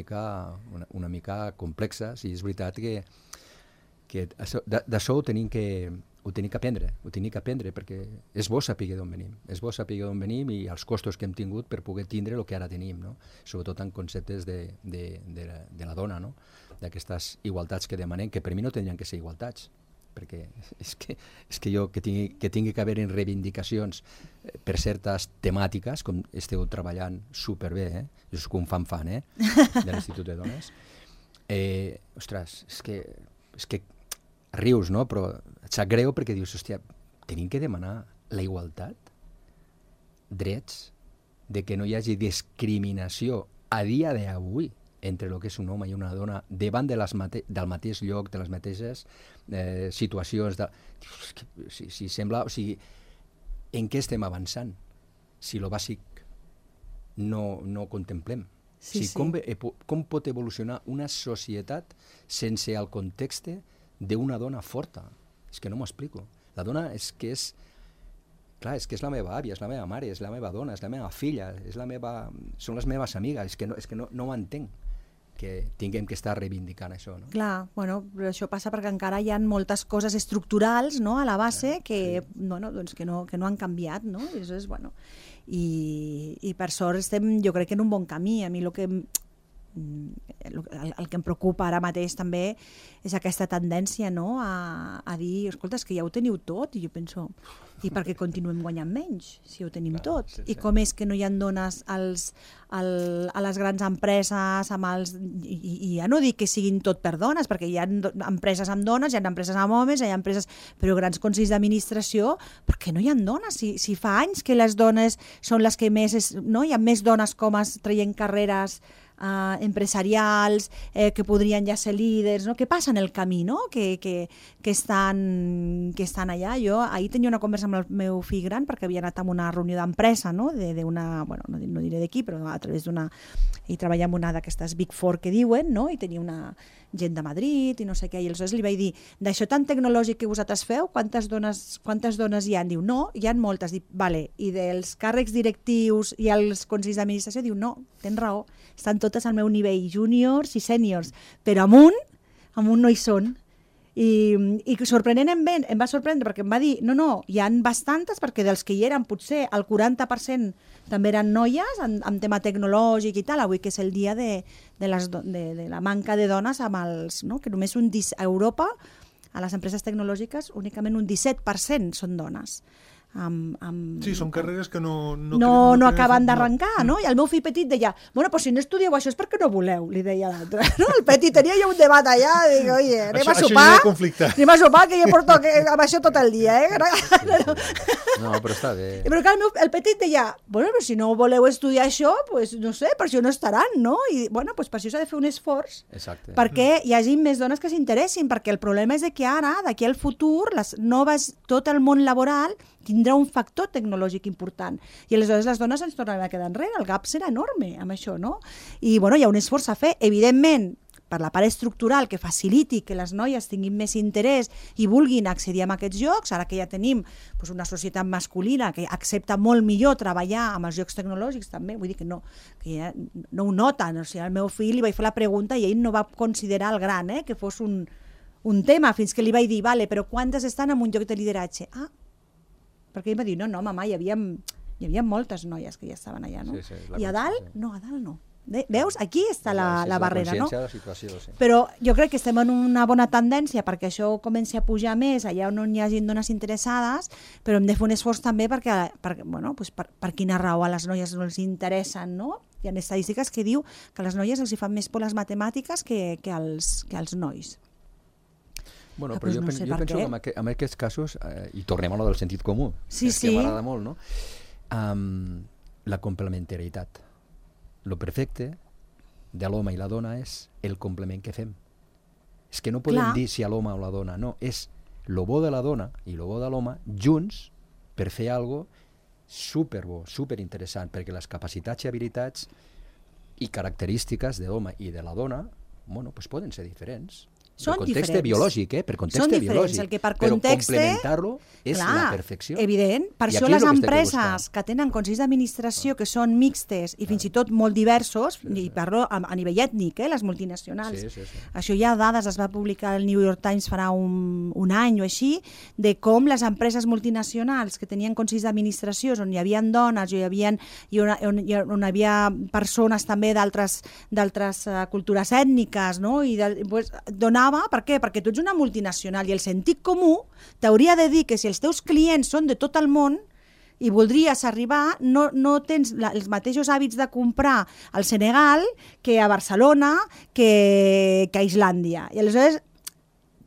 mica complexes, i és veritat que d'això ho tenim que aprendre, perquè és bo saber d'on venim, i els costos que hem tingut per poder tindre el que ara tenim, no? Sobretot en conceptes de la dona, no? D'aquestes igualtats que demanem, que per mi no tindrien que ser igualtats, perquè és que jo que tingui que haver reivindicacions per certes temàtiques, com esteu treballant superbé, jo soc un fan de l'Institut de Dones, ostres, és que rius, no? Però et sap greu perquè dius, hòstia, tenim que demanar la igualtat, drets, de que no hi hagi discriminació a dia d'avui entre el que és un home i una dona davant del mateix lloc, de les mateixes situacions. Si sembla, o sigui, en què estem avançant? Si lo bàsic no contemplem. Com pot evolucionar una societat sense el context d'una dona forta? És que no m'ho explico. La dona és que és la meva àvia, és la meva mare, és la meva dona, és la meva filla, són les meves amigues, és que no ho entenc, que tinguem que estar reivindicant això, no? Clar, però això passa perquè encara hi ha moltes coses estructurals, no?, a la base que no han canviat, no? I per sort jo crec que en un bon camí. A mi el que em preocupa ara mateix també és aquesta tendència, no?, a dir, escolta, és que ja ho teniu tot, i jo penso, i per què continuem guanyant menys si ho tenim tot? I com és que no hi ha dones a les grans empreses, i ja no dic que siguin tot per dones, perquè hi ha empreses amb dones, hi ha empreses amb homes, hi ha empreses, però grans consells d'administració, per què no hi ha dones? Si fa anys que les dones són les que més, no? Hi ha més dones com traient carreres empresarials que podrien ja ser líders, no? Què passa en el camí, no? que estan allà. Jo ahir tenia una conversa amb el meu fill gran perquè havia anat a una reunió d'empresa, no? Bueno, no diré d'aquí, però a través d'una... i treballava amb una d'aquestes Big Four que diuen, no? I tenia una gent de Madrid i no sé què, i aleshores li vaig dir, d'això tan tecnològic que vosaltres feu, quantes dones hi ha? Diu, no, hi ha moltes. Dic, vale, i dels càrrecs directius i els consells d'administració? Diu, no, tens raó, estan totes al meu nivell, júniors i sèniors, però amunt no hi són. I sorprenentment em va sorprendre perquè em va dir, no, hi han bastantes, perquè dels que hi eren potser el 40% també eren noies en tema tecnològic i tal, avui que és el dia de la manca de dones amb els, no? Que només a Europa, a les empreses tecnològiques, únicament un 17% són dones. Sí, són carreres que no acaben d'arrencar, no? I el meu fill petit deia, bueno, pues si no estudieu això és perquè no voleu, li deia l'altre. No? El petit tenia ja un debat allà, dic, oye, anem a sopar, que jo porto amb això tot el dia, No, però està bé. Però clar, el petit deia, bueno, però si no voleu estudiar això, pues no sé, per això no estaran, no? I bueno, pues per això s'ha de fer un esforç. Exacte. Perquè hi hagi més dones que s'interessin, perquè el problema és que ara, d'aquí al futur, tot el món laboral tindrà un factor tecnològic important. I aleshores les dones ens tornaran a quedar enrere. El gap serà enorme amb això, no? I bueno, hi ha un esforç a fer. Evidentment, per la part estructural que faciliti que les noies tinguin més interès i vulguin accedir a aquests llocs, ara que ja tenim una societat masculina que accepta molt millor treballar amb els llocs tecnològics també, vull dir que ja no ho noten. O sigui, al meu fill li vaig fer la pregunta i ell no va considerar el gran, que fos un tema, fins que li vaig dir, vale, però quantes estan en un lloc de lideratge? Perquè ell va dir, no, mama, hi havia moltes noies que ja estaven allà, no? Sí, I a dalt no. Veus? Aquí està la barrera, no? La situació, sí. Però jo crec que estem en una bona tendència perquè això comenci a pujar més allà on hi hagi dones interessades, però hem de fer un esforç també perquè per quina raó a les noies no els interessen, no? Hi ha estadístiques que diu que a les noies els hi fan més por les matemàtiques que als nois. Bueno, però jo penso que en aquests casos, i tornem a lo del sentit comú, que m'agrada molt, no? La complementarietat. Lo perfecte de l'home i la dona és el complement que fem. És que no podem dir si a l'home o la dona, no, és lo bo de la dona i lo bo de l'home junts per fer alguna cosa superbo, superinteressant, perquè les capacitats i habilitats i característiques de l'home i de la dona, bueno, pues poden ser diferents. Són per context diferents. Biològic, per context biològic. El que per context, però complementar-lo és la perfecció. Evident. Per això les empreses que tenen consells d'administració que són mixtes i fins i tot molt diversos, i parlo a nivell ètnic, les multinacionals. Sí. Això hi ha dades, es va publicar al New York Times farà un any o així, de com les empreses multinacionals que tenien consells d'administració on hi havia dones on hi havia persones també d'altres cultures ètniques, no? I donava. Per què? Perquè tu ets una multinacional i el sentit comú t'hauria de dir que si els teus clients són de tot el món i voldries arribar, no tens els mateixos hàbits de comprar al Senegal que a Barcelona, que a Islàndia. I aleshores,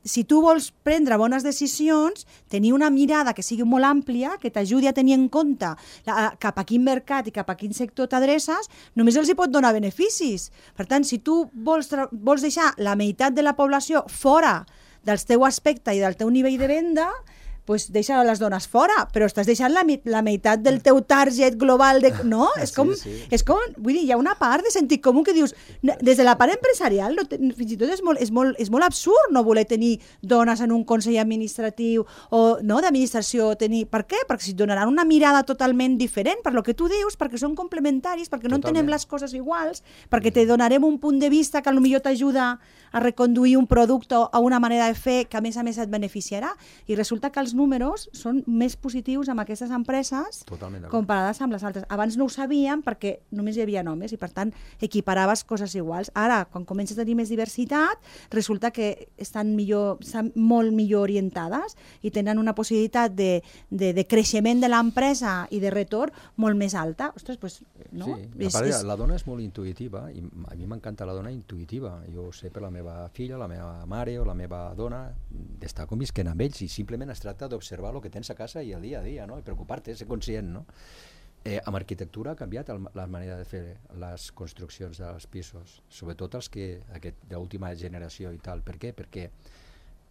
si tu vols prendre bones decisions, tenir una mirada que sigui molt àmplia, que t'ajudi a tenir en compte cap a quin mercat i cap a quin sector t'adreces, només els hi pot donar beneficis. Per tant, si tu vols deixar la meitat de la població fora del teu aspecte i del teu nivell de venda, doncs deixa les dones fora, però estàs deixant la meitat del teu target global, no? És com, vull dir, hi ha una part de sentit comú que dius, des de la part empresarial, fins i tot és molt absurd no voler tenir dones en un consell administratiu o d'administració. Per què? Perquè si donaran una mirada totalment diferent, per lo que tu dius, perquè són complementaris, perquè no entenem les coses iguals, perquè te donarem un punt de vista que potser t'ajuda a reconduir un producte a una manera de fer que a més et beneficiarà, i resulta que els números són més positius amb aquestes empreses comparades amb les altres. Abans no ho sabíem perquè només hi havia homes i per tant equiparaves coses iguals. Ara, quan comences a tenir més diversitat, resulta que estan molt millor orientades i tenen una possibilitat de creixement de l'empresa i de retorn molt més alta. Ostres, doncs, no? Sí, a part, la dona és molt intuïtiva i a mi m'encanta la dona intuïtiva. Jo ho sé per la meva filla, la meva mare o la meva dona, d'estar convisquent amb ells i simplement es tracta d'observar el que tens a casa i el dia a dia, no? I preocupar-te, ser conscient, no? Amb arquitectura ha canviat la manera de fer les construccions dels pisos, sobretot els que de l'última generació i tal. Per què? Perquè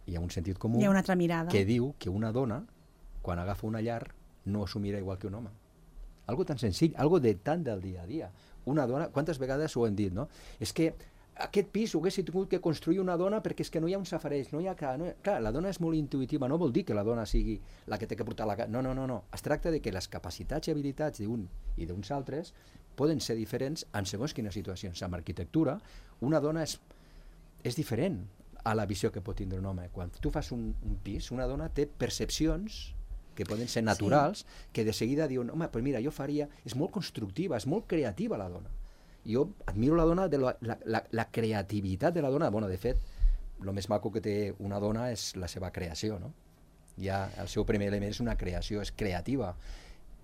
hi ha un sentit comú hi ha una altra mirada que diu que una dona, quan agafa una llar, no s'ho mira igual que un home. Algo tan senzill, algo de tant del dia a dia. Una dona, quantes vegades ho hem dit, no? És que aquest pis ho haguessi tingut que construir una dona perquè és que no hi ha un safareig, no hi ha... Clar, la dona és molt intuïtiva, no vol dir que la dona sigui la que té que portar la casa. No. Es tracta de que les capacitats i habilitats d'un i d'uns altres poden ser diferents en segons quines situacions. Amb arquitectura, una dona és diferent a la visió que pot tindre un home. Quan tu fas un pis, una dona té percepcions que poden ser naturals, que de seguida diuen, home, pues mira, jo faria... És molt constructiva, és molt creativa la dona. Jo admiro la dona, la creativitat de la dona. Bueno, de fet, el més maco que té una dona és la seva creació, no? Ja el seu primer element és una creació, és creativa.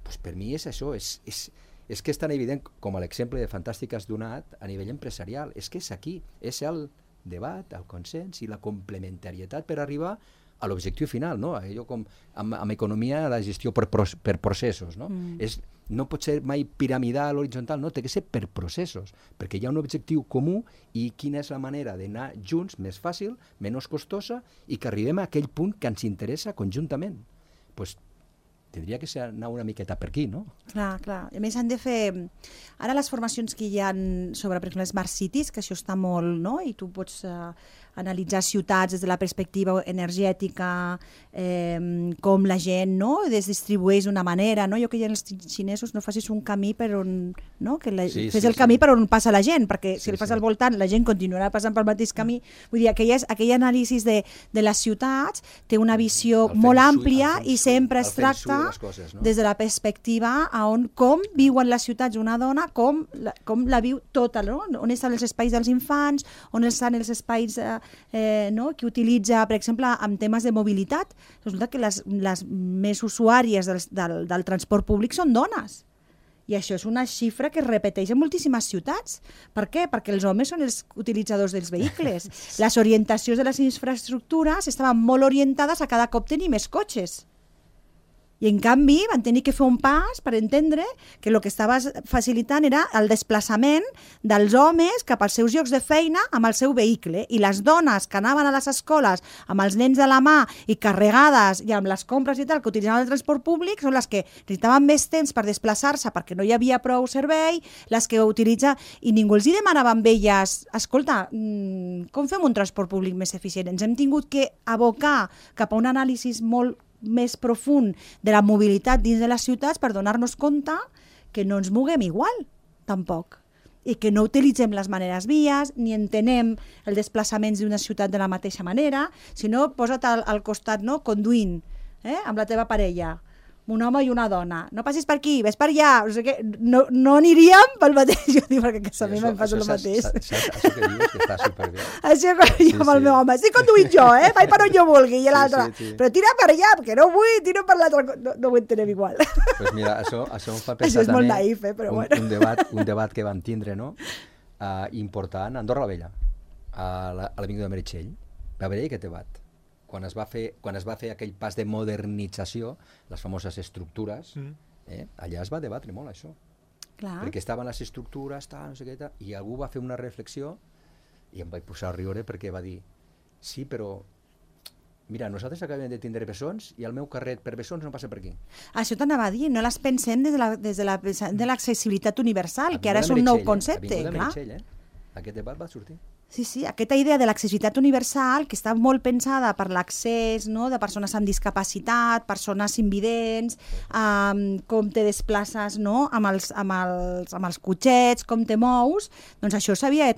Pues per mi és això, és que és tan evident com l'exemple de Fantàstic que has donat a nivell empresarial. És que és aquí, és el debat, el consens i la complementarietat per arribar a l'objectiu final, no? Allò com amb economia, la gestió per processos, no? No pot ser mai piramidal, horitzontal, no, té que ser per processos, perquè hi ha un objectiu comú i quina és la manera d'anar junts més fàcil, menys costosa i que arribem a aquell punt que ens interessa conjuntament. Pues tindria que ser anar una miqueta per aquí, no? Clar. A més, han de fer... Ara les formacions que hi ha sobre, per exemple, Smart Cities, que això està molt, no? I tu pots analitzar ciutats des de la perspectiva energètica, com la gent, no? Es distribueix d'una manera, no? Jo que hi ha els xinesos, no facis un camí per on... No? Que fes el camí per on passa la gent, perquè si el fas al voltant, la gent continuarà passant pel mateix camí. Vull dir, aquell anàlisi de les ciutats té una visió molt àmplia i sempre es tracta des de la perspectiva com viuen les ciutats una dona, com la viu tota, no? On estan els espais dels infants, on estan els espais que utilitza, per exemple, en temes de mobilitat. Resulta que les més usuàries del transport públic són dones. I això és una xifra que es repeteix en moltíssimes ciutats. Per què? Perquè els homes són els utilitzadors dels vehicles. Les orientacions de les infraestructures estaven molt orientades a cada cop tenir més cotxes. I en canvi van tenir que fer un pas per entendre que el que estava facilitant era el desplaçament dels homes cap als seus llocs de feina amb el seu vehicle, i les dones que anaven a les escoles amb els nens de la mà i carregades i amb les compres i tal que utilitzaven el transport públic són les que necessitaven més temps per desplaçar-se perquè no hi havia prou servei, les que utilitza... I ningú els hi demanava amb elles, escolta, com fem un transport públic més eficient? Ens hem tingut que abocar cap a un anàlisi molt més profund de la mobilitat dins de les ciutats per donar-nos compte que no ens moguem igual, tampoc, i que no utilitzem les maneres vies, ni entenem els desplaçaments d'una ciutat de la mateixa manera, sinó posa't al costat, no? Conduint, amb la teva parella, un home i una dona. No passis per aquí, ves per allà. No sé què. No aniríem pel mateix. Jo dic, perquè a mi me'n passa el mateix. Això que dius que està superbé. Això que jo amb el meu home. Estic conduint jo, vaig per on jo vulgui. I l'altre, però tira per allà, perquè no vull, tiro per l'altre. No ho entenem igual. Doncs mira, això em fa pensar això és molt naïf, però bueno. Un debat que vam tindre, no? Important, a Andorra la Vella, a l'Avinguda de Meritxell. Va haver-hi aquest debat. Quan es va fer aquell pas de modernització, les famoses estructures, allà es va debatre molt això. Clar. Perquè estaven les estructures, no sé què, i algú va fer una reflexió i em vaig posar a riure perquè va dir, sí, però mira, nosaltres acabem de tindre bessons i el meu carret per bessons no passa per aquí. Això t'anava a dir, no les pensem des de l'accessibilitat universal, que ara és un nou concepte. Aquest debat va sortir. Sí, aquesta idea de l'accessibilitat universal, que està molt pensada per l'accés, no?, de persones amb discapacitat, persones invidents, com te desplaces, no?, amb els cotxets, com te mous, doncs això s'havia de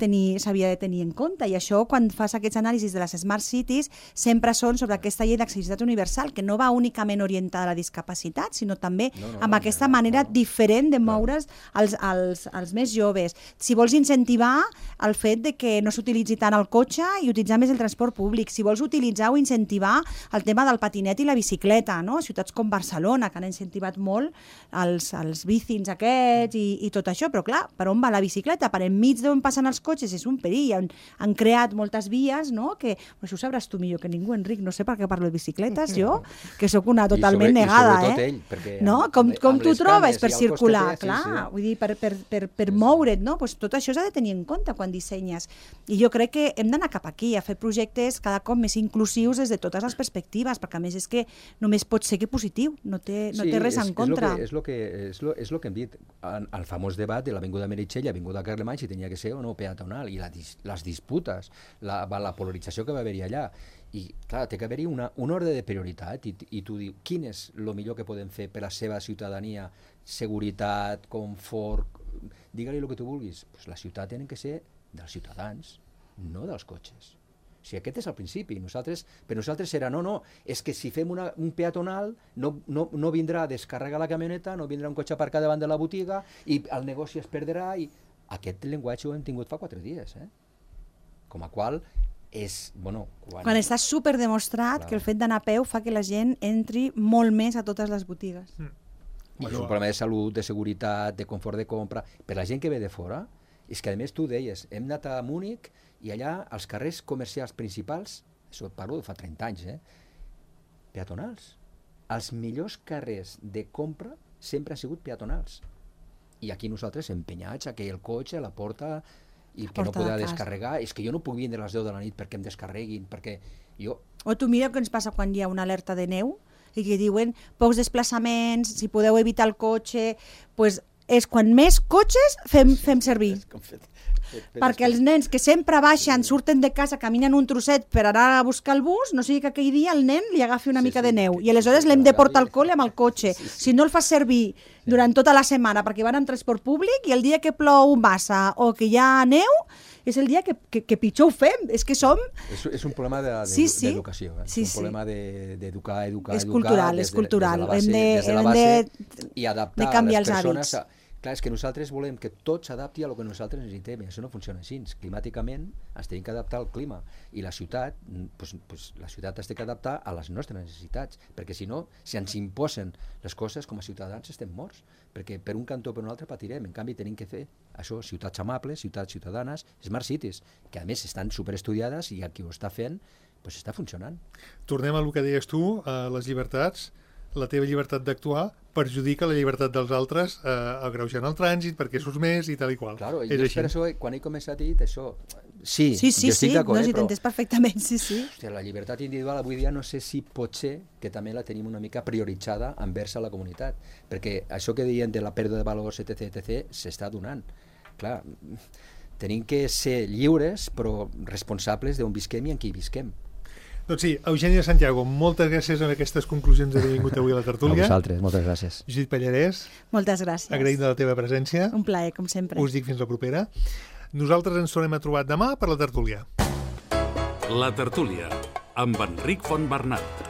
tenir en compte. I això, quan fas aquests anàlisis de les Smart Cities, sempre són sobre aquesta llei d'accessibilitat universal, que no va únicament orientada a la discapacitat, sinó també amb aquesta manera diferent de moure's als més joves. Si vols incentivar el fet de que no s'utilitzi tant el cotxe i utilitzar més el transport públic, si vols utilitzar o incentivar el tema del patinet i la bicicleta, no? Ciutats com Barcelona, que han incentivat molt els bicins aquests i tot això, però clar, per on va la bicicleta? Per enmig d'on passen els cotxes és un perill, han creat moltes vies, no? Que, això ho sabràs tu millor que ningú, Enric, no sé per què parlo de bicicletes, jo, que sóc una totalment negada, i sobretot ell, perquè no? Com tu trobes per circular, clar, vull dir, per moure't, no? Pues tot això s'ha de tenir en compte quan dissenyes. I jo crec que hem d'anar cap aquí, a fer projectes cada cop més inclusius des de totes les perspectives, perquè a més és que només pot ser que positiu, no té res en contra. És el que hem dit, el famós debat de l'Avinguda Meritxell i l'Avinguda Carlemany, si tenia que ser o no peatonal, i les disputes, la polarització que va haver-hi allà. I clar, té que haver-hi un ordre de prioritat i tu dius, quin és el millor que podem fer per a la seva ciutadania, seguretat, confort, digue-li el que tu vulguis. Pues la ciutat ha de ser dels ciutadans, no dels cotxes. O sigui, aquest és el principi. Per nosaltres serà, no, és que si fem un peatonal no vindrà a descarregar la camioneta, no vindrà un cotxe aparcat davant de la botiga i el negoci es perdrà. Aquest llenguatge ho hem tingut fa 4 dies. Com a qual és, quan està superdemostrat que el fet d'anar a peu fa que la gent entri molt més a totes les botigues. És un problema de salut, de seguretat, de confort de compra. Per la gent que ve de fora, és que a més tu deies, hem anat a Múnich i allà els carrers comercials principals, això parlo de fa 30 anys, peatonals. Els millors carrers de compra sempre han sigut peatonals. I aquí nosaltres empenyats a que el cotxe, la porta, i que no podrà descarregar, és que jo no puc vindre a les 10 de la nit perquè em descarreguin, perquè jo... O tu mira què ens passa quan hi ha una alerta de neu i que diuen pocs desplaçaments, si podeu evitar el cotxe, pues és quan més cotxes fem servir. Perquè els nens que sempre baixen, surten de casa, caminen un trosset per anar a buscar el bus, no sigui que aquell dia el nen li agafi una mica de neu i aleshores l'hem de portar al col·le amb el cotxe. Si no el fas servir durant tota la setmana perquè van en transport públic i el dia que plou massa o que hi ha neu és el dia que pitjor ho fem. És que som... És un problema d'educació. És un problema d'educar, és cultural, és cultural. Hem de adaptar a les persones... Clar, és que nosaltres volem que tot s'adapti a el que nosaltres necessitem, i això no funciona així. Climàticament ens tenim que adaptar al clima, i la ciutat, la ciutat es té que adaptar a les nostres necessitats, perquè si no, si ens imposen les coses com a ciutadans estem morts, perquè per un cantó o per un altre patirem. En canvi, tenim que fer això, ciutats amables, ciutats ciutadanes, smart cities, que a més estan superestudiades i qui ho està fent, està funcionant. Tornem a el que deies tu, a les llibertats. La teva llibertat d'actuar perjudica la llibertat dels altres agreujant el trànsit perquè surts més i tal i qual. Claro, és per això, quan he començat a dir això, sí, jo estic d'acord, no, si t'entens perfectament, sí. Hòstia, la llibertat individual avui dia no sé si pot ser que també la tenim una mica prioritzada envers a la comunitat, perquè això que deien de la pèrdua de valors, etc., s'està donant. Clar, tenim que ser lliures però responsables d'on visquem i en qui visquem. Doncs sí, Eugènia Santiago, moltes gràcies amb aquestes conclusions d'haver vingut avui a la tertúlia. A vosaltres, moltes gràcies. Judit Pallarès. Moltes gràcies. Agraïm de la teva presència. Un plaer, com sempre. Us dic fins la propera. Nosaltres ens tornem a trobar demà per la tertúlia. La tertúlia, amb Enric Fontbernat.